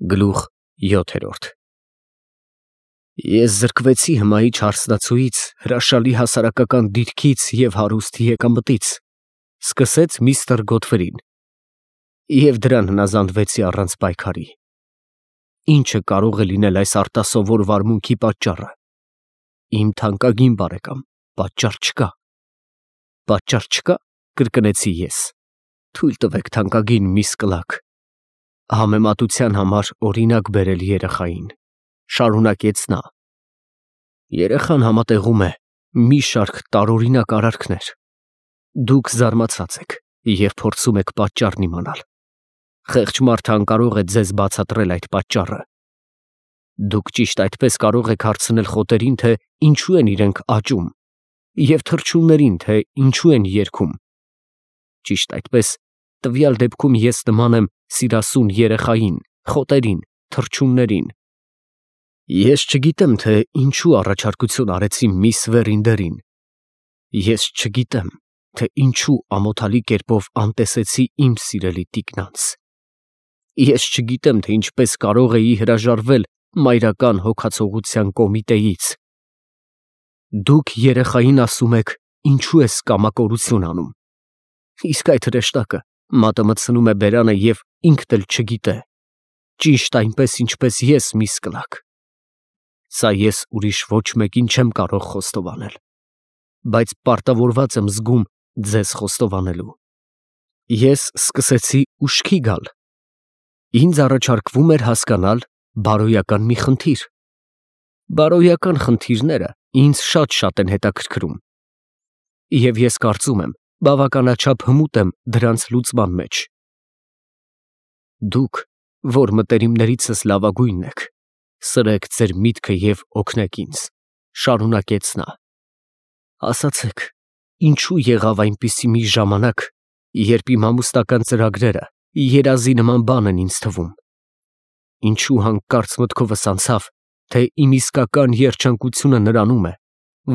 Գլուխ 7 Ես զրկվեցի հմայի չարսնացուից, հրաշալի հասարակական դիրքից և հարուստ եկամտից, սկսեց միստր Գոթֆրին, և դրան հնազանդվեցի առանց պայքարի։ Ի՞նչը կարող է լինել այս արտասովոր վարմունքի պատճառը։ Իմ թանկագին բարեկամ, պատճառ չկա։ Պատճառ չկա, կրկնեցի ես։ Թույլ տվեք, թանկագին միս Կլաք, համեմատության համար օրինակ բերել երեխային, շարունակեց նա։ Երեխան համատեղում է մի շարք տարօրինակ արարքներ։ Դուք զարմացած եք և փորձում եք պատճառն իմանալ։ Խեղճ մարդը անկարող է ձեզ բացատրել այդ պատճառը։ Դուք ճիշտ այդպես կարող եք հարցնել խոտերին, թե ինչու են իրենք աճում, և թռչուններին, թե ինչու են երգում։ Ճիշտ այդպես, տվյալ դեպքում ես նման եմ սիրասուն երեխային, խոտերին, թռչուններին։ Ես չգիտեմ, թե ինչու առաջարկություն արեցի միս Վերինդերին։ Ես չգիտեմ, թե ինչու ամոթալի կերպով անտեսեցի իմ սիրելի տիկնանց։ Ես չգիտեմ, թե ինչպես կարող էի հրաժարվել մայրական հոգացողության կոմիտեից։ Դուք երեխային ասում եք, ինչու ես կամակորություն անում։ Իսկ այդ հրեշտակը մատը մտցնում է բերանը և ինքն էլ չգիտե։ Ճիշտ այնպես, ինչպես ես, միս Կլաք։ Սա ես ուրիշ ոչ մեկին չեմ կարող խոստովանել, բայց պարտավորված եմ զգում ձեզ խոստովանելու։ Ես սկսեցի ուշքի գալ։ Ինձ առաջարկվում էր հասկանալ բարոյական մի խնդիր։ Բարոյական խնդիրները ինձ շատ են հետաքրքրում։ Եվ ես կարծում եմ, բավականաչափ հմուտ եմ դրանց լուծման մեջ։ Դուք, որ մտերիմներիցս լավագույնն եք, սրեք ձեր միտքը և օգնեք ինձ, շարունակեց նա։ Ասացեք, ինչու եղավ այնպիսի մի ժամանակ, երբ իմ ամուսնական ծրագրերը երազի նման բան են ինձ թվում։ Ինչու հանկարծ մտքովս անցավ, թե իմ իսկական երջանկությունը նրանում է,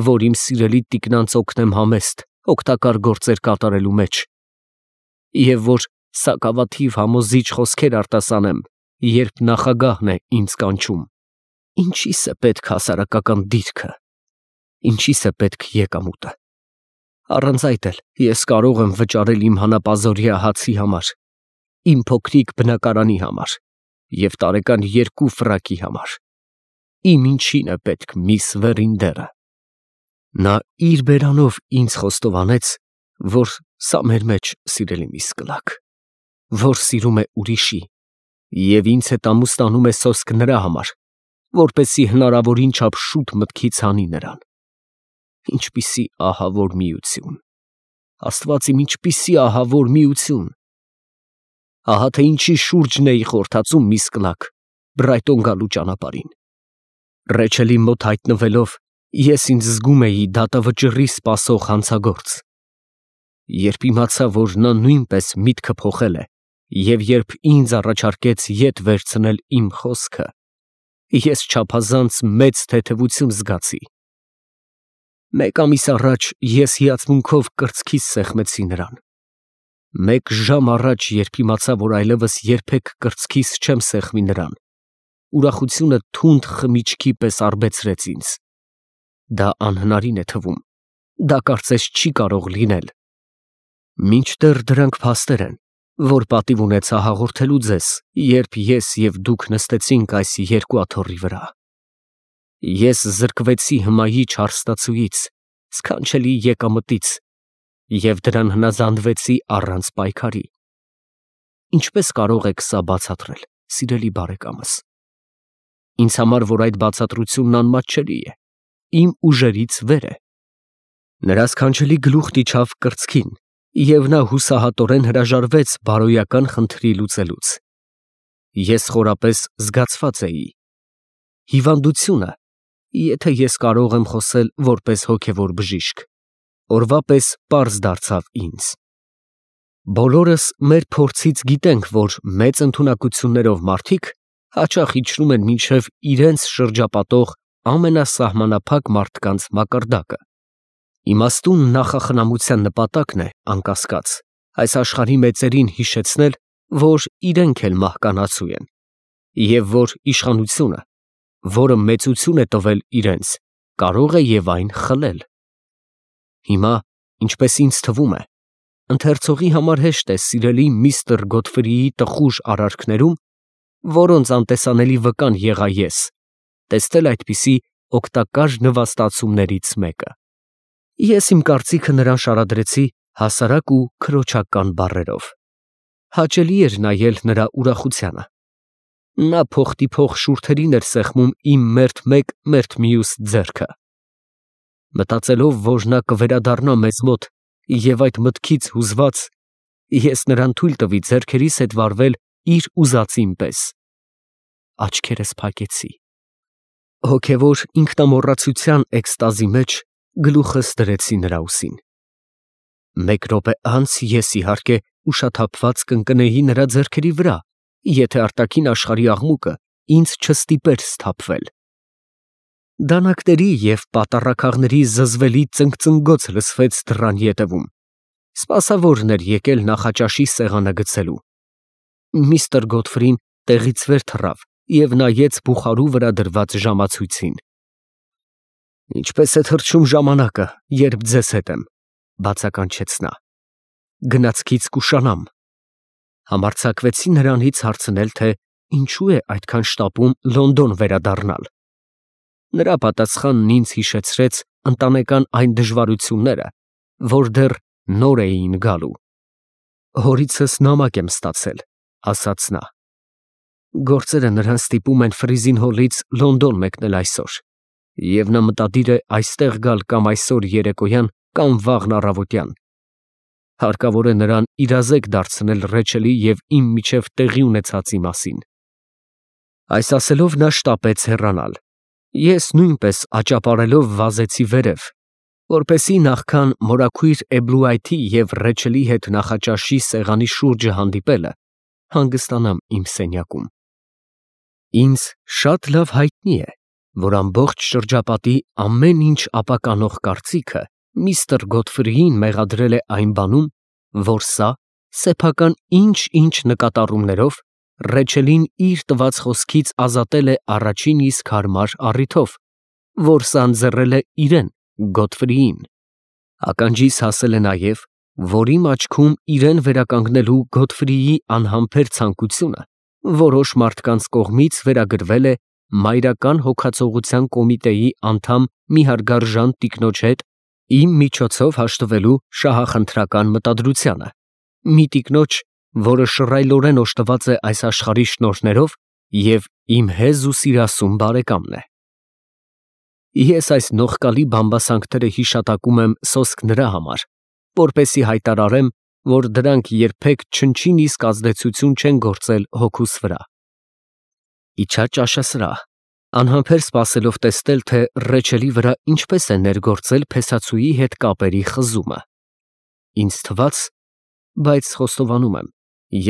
որ իմ սիրելի տիկնանց օգնեմ համեստ, օգտակար գործեր կատարելու մեջ, և որ սակավաթիվ համոզիչ խոսքեր արտասանեմ, երբ նախագահն է ինձ կանչում։ Ինչի՞ս է պետք հասարակական դիրքը, ինչի՞ս է պետք եկամուտը։ Առանց այդ էլ ես կարող եմ վճարել իմ հանապազօրյա հացի համար, իմ փոքրիկ բնակարանի համար և տարեկան 2 ֆրակի համար։ Իմ ինչին է պետք միս Վերինդերը։ Նա իր բերանով ինձ խոստովանեց, որ սա մեր մեջ, սիրելի միս Կլաք, որ սիրում է ուրիշի և ինձ հետ ամուսնանում է սոսկ նրա համար, որպեսզի հնարավորին չափ շուտ մտքից հանի նրան։ Ինչպիսի ահավոր միություն, Աստված իմ, ինչպիսի ահավոր միություն։ Ահա թե ինչի շուրջն էի խորթացում, միս Կլաք, Բրայտոն գալու ճանապարհին։ Ռեչելի մոտ հայտնվելով, ես ինձ զգում էի դատավճռի սպասող հանցագործ։ Երբ իմացա, որ նա նույնպես միտքը փոխել է, և երբ ինձ առաջարկեց ետ վերցնել իմ խոսքը, ես չափազանց մեծ թեթևություն զգացի։ 1 ամիս առաջ ես հիացմունքով կրծքիս սեղմեցի նրան։ 1 ժամ առաջ, երբ իմացա, որ այլևս երբեք կրծքիս չեմ սեղմի նրան, ուրախությունը թունդ խմիչքի պես արբեցրեց ինձ։ Դա անհնարին է թվում, դա կարծես չի կարող լինել։ Մինչդեռ դրանք փաստեր են, որ պատիվ ունեցա հաղորդելու ձեզ, երբ ես և դուք նստեցինք այս երկու աթոռի վրա։ Ես զրկվեցի հմայի չարսնացուից, սքանչելի եկամտից և դրան հնազանդվեցի առանց պայքարի։ Ինչպես կարող եք սա բացատրել, սիրելի բարեկամս։ Ինձ համար, որ այդ բացատրությունն անմատչելի է, իմ ուժերից վեր է։ Նրա սքանչելի գլուխն իջավ կրծքին, և նա հուսահատորեն հրաժարվեց բարոյական խնդրի լուծելուց։ Ես խորապես զգացված էի։ Հիվանդությունը, եթե ես կարող եմ խոսել որպես հոգևոր բժիշկ, օրվա պես պարզ դարձավ ինձ։ Բոլորս մեր փորձից գիտենք, որ մեծ ընդունակություններով մարդիկ հաճախ իջնում են մինչև իրենց շրջապատող ամենասահմանափակ մարդկանց մակարդակը։ Իմաստուն նախախնամության նպատակն է, անկասկած, այս աշխարհի մեծերին հիշեցնել, որ իրենք էլ մահկանացու են, և որ իշխանությունը, որը մեծություն է տվել իրենց, կարող է և այն խլել։ Հիմա, ինչպես ինձ թվում է, ընթերցողի համար հեշտ է սիրելի միստր Գոթֆրիի տխուր արարքներում, որոնց անտեսանելի վկան եղա ես, տեսնել այդպիսի օգտակար նվաստացումներից մեկը։ Ես իմ կարծիքը նրան շարադրեցի հասարակ ու քրոջական բառերով։ Հաճելի էր նայել նրա ուրախությանը։ Նա փոխտիփող շուրթերին էր սեղմում իմ մերթ մեկ, մերթ մյուս ձեռքը։ Մտածելով, որ նա կվերադառնա մեզ մոտ, և այդ մտքից հուզված, ես նրան թույլ տվի ձեռքերիս հետ վարվել իր ուզածին պես։ Աչքերս փակեցի։ Հոգևոր ինքնամոռացության էքստազի մեջ գլուխս դրեցի նրա ուսին։ Մեկ րոպե անց ես, իհարկե, ուշաթափված կընկնեի նրա ձեռքերի վրա, եթե արտաքին աշխարհի աղմուկը ինձ չստիպեր սթափվել։ Դանակների և պատառաքաղների զզվելի ծնգծնգոց լսվեց դռան ետևում։ Սպասավորն էր եկել նախաճաշի սեղանը գցելու։ Միստր Գոթֆրին տեղից վեր թռավ և նայեց բուխարու վրա դրված ժամացույցին։ «Ինչպես է թռչում ժամանակը, երբ ձեզ հետ եմ», բացականչեց նա։ «Գնացքից կուշանամ»։ Համարձակվեցի նրանից հարցնել, թե ինչու է այդքան շտապում Լոնդոն վերադառնալ։ Նրա պատասխանն ինձ հիշեցրեց ընտանեկան այն դժվարությունները, որ դեռ նոր էին գալու։ «Հորիցս նամակ եմ ստացել», ասաց նա։ «Գործերը նրան ստիպում են Ֆրիզին Հոլից Լոնդոն մեկնել այսօր, և նա մտադիր է այստեղ գալ կամ այսօր երեկոյան, կամ վաղն առավոտյան։ Հարկավոր է նրան իրազեկ դարձնել Ռեչելի և իմ միջև տեղի ունեցածի մասին»։ Այս ասելով նա շտապեց հեռանալ։ Ես նույնպես աճապարելով վազեցի վերև, որպեսզի նախքան մորաքույր Էբլուայթի և Ռեչելի հետ նախաճաշի սեղանի շուրջը հանդիպելը, հանգստանամ իմ սենյակում։ Ինձ շատ լավ հայտնի է, որ ամբողջ շրջապատի ամեն ինչ ապականող կարծիքը միստր Գոթֆրիին մեղադրել է այն բանում, որ սա, սեփական ինչ-ինչ նկատառումներով, Ռեչելին իր տված խոսքից ազատել է առաջին իսկ հարմար առիթով, որ սա ընձեռել է իրեն, Գոթֆրիին։ Ականջիս հասել է նաև, որ իմ աչքում իրեն վերականգնելու Գոթֆրիի անհամբեր ցանկությունը որոշ մարդկանց կողմից վերագրվել է Մայրական հոգացողության կոմիտեի անդամ մի հարգարժան տիկնոջ հետ իմ միջոցով հաշտվելու շահախնդրական մտադրությանը, մի տիկնոջ, որը շռայլորեն օժտված է այս աշխարհի շնորհներով և իմ հեզ ու սիրասուն բարեկամն է։ Ես այս նողկալի բամբասանքները հիշատակում եմ սոսկ նրա համար, որպեսզի հայտարարեմ, որ դրանք երբեք չնչին իսկ ազդեցություն չեն գործել հոգուս վրա։ Իջա ճաշասրահ, անհամբեր սպասելով տեսնել, թե Ռեչելի վրա ինչպես է ներգործել փեսացուի հետ կապերի խզումը։ Ինձ թվաց, բայց խոստովանում եմ,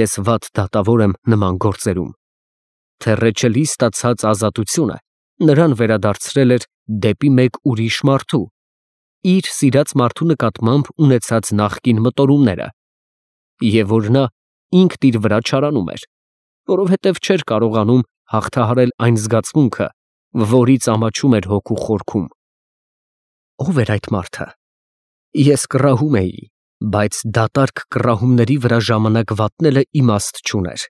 ես վատ դատավոր եմ նման գործերում, թե Ռեչելի ստացած ազատությունը նրան վերադարձրել էր դեպի մեկ ուրիշ մարդու, իր սիրած մարդու նկատմամբ ունեցած նախկին մտորումները, և որ նա ինքն իր վրա չարանում էր, որովհետև չէր կարողանում հաղթահարել այն զգացմունքը, որից ամաչում էր հոգու խորքում։ Ո՞վ էր այդ մարդը։ Ես կռահում էի, բայց դատարկ կռահումների վրա ժամանակ վատնելը իմաստ չուներ։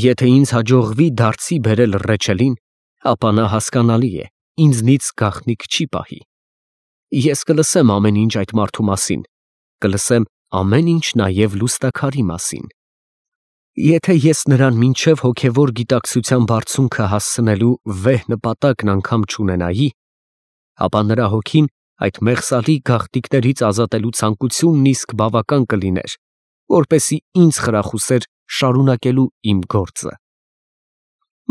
Եթե ինձ հաջողվի դարձի բերել Ռեչելին, ապա նա, հասկանալի է, ինձնից գաղտնիք չի պահի։ Ես կլսեմ ամեն ինչ այդ մարդու մասին, կլսեմ ամեն ինչ նաև լուստաքարի մասին։ Եթե ես նրան մինչև հոգևոր գիտակցության բարձունքը հասցնելու վեհ նպատակն անգամ չունենայի, ապա նրա հոգին այդ մեղսալի գաղտնիքներից ազատելու ցանկությունն իսկ բավական կլիներ, որպեսզի ինձ խրախուսեր շարունակելու իմ գործը։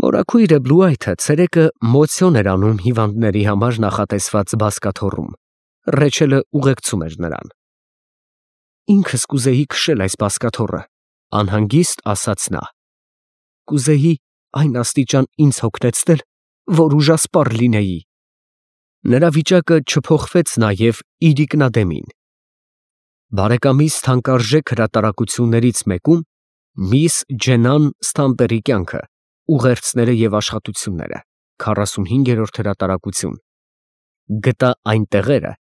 Մորաքույր Էբլուայթը ցերեկը մոցիոն էր անում հիվանդների համար նախատեսված բազկաթոռում։ Ռեչելը ուղեկցում էր նրան։ Ինքս կուզեի քշել այս բազկաթոռը, անհանգիստ ասաց նա։ Կուզեի այն աստիճան ինձ հոգնեցնել, որ ուժասպառ լինեի։ Նրա վիճակը չփոխվեց նաև իր ինքնադեմին։ Բարեկամիս թանկարժեք հրատարակություններից մեկում միս Ջենան Սթամպերի կյանքը ուղերձները եւ աշխատությունները, 45-րդ հրատարակություն։ Գտա այն տեղերը,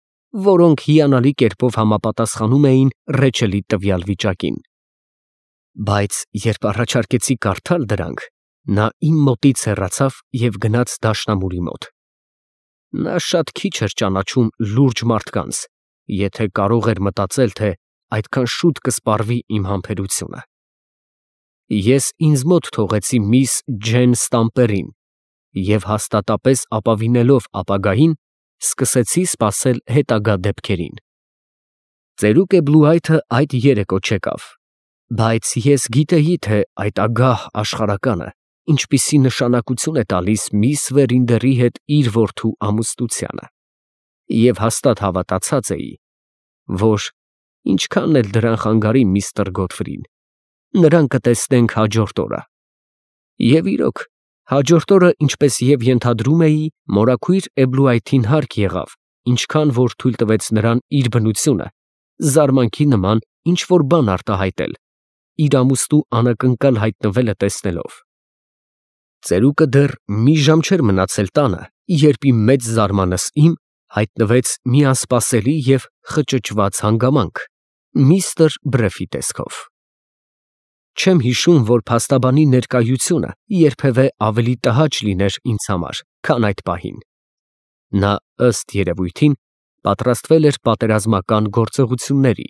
որոնք հիանալի կերպով համապատասխանում էին Ռեչելի տվյալ վիճակին։ Բայց երբ առաջարկեցի կարդալ դրանք, նա իմ մոտից հեռացավ եւ գնաց դաշնամուրի մոտ։ Նա շատ քիչ էր ճանաչում լուրջ մարդկանց, եթե կարող էր մտածել, թե այդքան շուտ կսպառվի իմ համբերությունը։ Ես ինձ մոտ թողեցի միս Ջեն Ստամպերին և հաստատապես ապավինելով ապագային, սկսեցի սպասել հետագա դեպքերին։ Ծերուկ Էբլուայթը այդ երեկո չեկավ, բայց ես գիտեի, թե այդ ագահ աշխարհականը ինչպիսի նշանակություն է տալիս միս Վերինդերի հետ իր որդու ամուսնությանը, և հաստատ հավատացած էի, որ ինչքան էլ դրան խանգարի միստր Գոթֆրին, նրան կտեսնենք հաջորդ օրը։ Եվ իրոք, հաջորդ օրը, ինչպես և ենթադրում էի, մորաքույր Էբլուայթին հարկ եղավ, ինչքան որ թույլ տվեց նրան իր բնությունը, զարմանքի նման ինչ֊որ բան արտահայտել, իր ամուսնու անակնկալ հայտնվելը տեսնելով։ Ծերուկը դեռ մի ժամ չէր մնացել տանը, երբ իմ մեծ զարմանքս հայտնվեց մի անսպասելի և խճճված հանգամանք միստր Բրեֆի տեսքով։ Չեմ հիշում, որ փաստաբանի ներկայությունը երբևէ ավելի տհաճ լիներ ինձ համար, քան այդ պահին։ Նա, ըստ երևույթին, պատրաստվել էր պատերազմական գործողությունների,